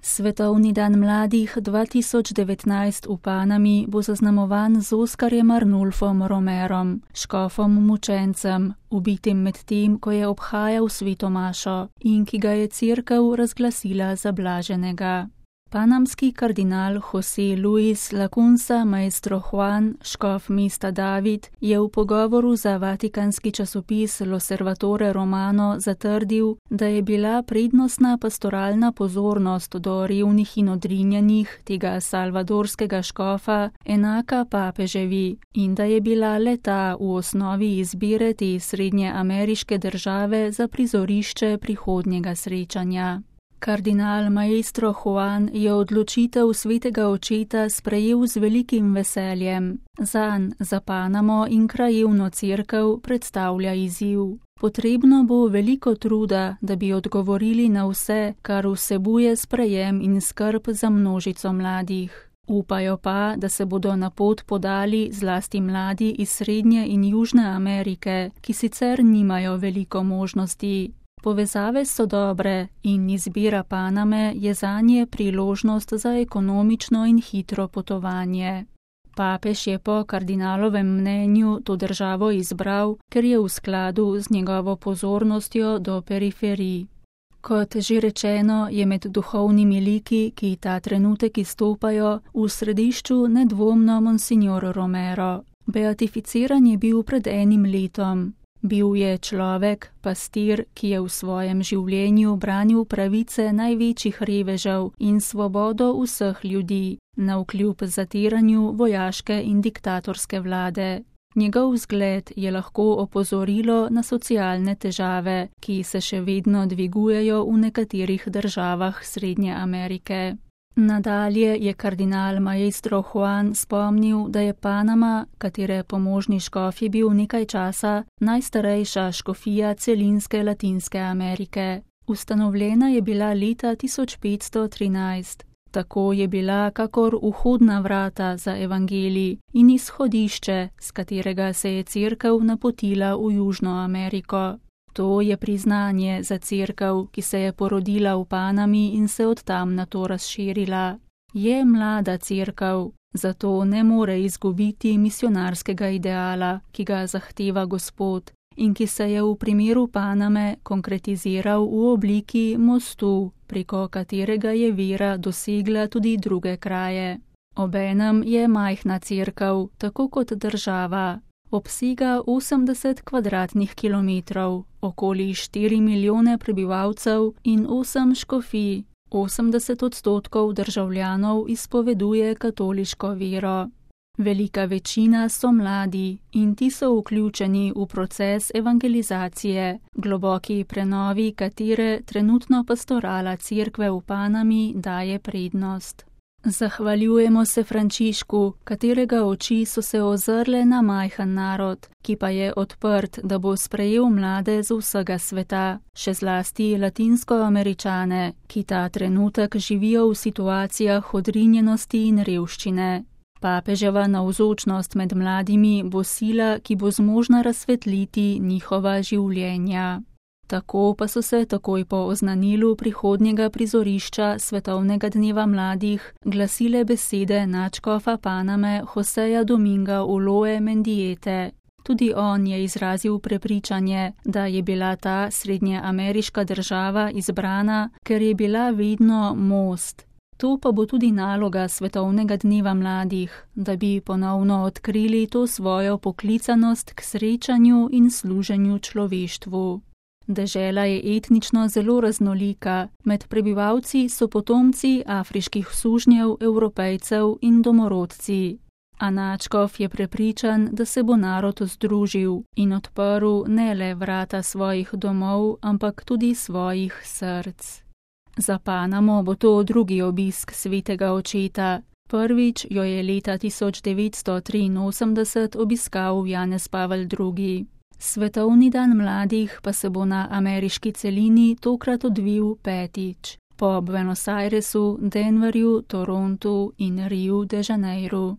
Svetovni dan mladih 2019 v Panami bo zaznamovan z Oskarjem Arnulfom Romerom, škofom mučencem, ubitim med tem, ko je obhajal sveto mašo in ki ga je cerkev razglasila za blaženega. Panamski kardinal José Luis Lacunza Maestro Juan, škof mesta David, je v pogovoru za vatikanski časopis L'Osservatore Romano zatrdil, da je bila prednostna pastoralna pozornost do revnih in odrinjenih tega salvadorskega škofa enaka papeževi in da je bila le-ta v osnovi izbire te srednjeameriške države za prizorišče prihodnjega srečanja. Kardinal Maestro Juan je odločitev svetega očeta sprejel z velikim veseljem. Zanj, za Panamo in krajevno cerkev predstavlja izziv. Potrebno bo veliko truda, da bi odgovorili na vse, kar vsebuje sprejem in skrb za množico mladih. Upajo pa, da se bodo na pot podali zlasti mladi iz Srednje in Južne Amerike, ki sicer nimajo veliko možnosti. Povezave so dobre in izbira Paname je zanje priložnost za ekonomično in hitro potovanje. Papež je po kardinalovem mnenju to državo izbral, ker je v skladu z njegovo pozornostjo do periferij. Kot že rečeno, je med duhovnimi liki, ki ta trenutek izstopajo, v središču nedvomno Monsignor Romero. Beatificiran je bil pred enim letom. Bil je človek, pastir, ki je v svojem življenju branil pravice največjih revežev in svobodo vseh ljudi, navkljub zatiranju vojaške in diktatorske vlade. Njegov vzgled je lahko opozorilo na socialne težave, ki se še vedno dvigujejo v nekaterih državah Srednje Amerike. Nadalje je kardinal Maestro Juan spomnil, da je Panama, katere pomožni škof je bil nekaj časa, najstarejša škofija celinske Latinske Amerike. Ustanovljena je bila leta 1513. Tako je bila kakor vhodna vrata za evangelij in izhodišče, s katerega se je cerkev napotila v Južno Ameriko. To je priznanje za cerkev, ki se je porodila v Panami in se od tam nato razširila. Je mlada cerkev, zato ne more izgubiti misionarskega ideala, ki ga zahteva Gospod in ki se je v primeru Paname konkretiziral v obliki mostu, preko katerega je vera dosegla tudi druge kraje. Obenem je majhna cerkev, tako kot država. Obsega 80 kvadratnih kilometrov, okoli 4 milijone prebivalcev in 8 škofij. 80% državljanov izpoveduje katoliško vero. Velika večina so mladi in ti so vključeni v proces evangelizacije, globoki prenovi katere trenutno pastorala cerkve v Panami daje prednost. Zahvaljujemo se Frančišku, katerega oči so se ozrle na majhen narod, ki pa je odprt, da bo sprejel mlade z vsega sveta, še zlasti Latinskoameričane, ki ta trenutek živijo v situacijah odrinjenosti in revščine. Papeževa navzočnost med mladimi bo sila, ki bo zmožna razsvetliti njihova življenja. Tako pa so se takoj po oznanilu prihodnjega prizorišča Svetovnega dneva mladih glasile besede nadškofa Paname Joseja Dominga Uloe Mendiete. Tudi on je izrazil prepričanje, da je bila ta srednjeameriška država izbrana, ker je bila vedno most. To pa bo tudi naloga Svetovnega dneva mladih, da bi ponovno odkrili to svojo poklicanost k srečanju in služenju človeštvu. Dežela je etnično zelo raznolika, med prebivalci so potomci afriških sužnjev, Evropejcev in domorodci. A nadškof je prepričan, da se bo narod združil in odprl ne le vrata svojih domov, ampak tudi svojih src. Za Panamo bo to drugi obisk svetega očeta. Prvič jo je leta 1983 obiskal Janez Pavel II. Svetovni dan mladih pa se bo na ameriški celini tokrat odvil petič, po Buenos Airesu, Denverju, Torontu in Riu de Janeiru.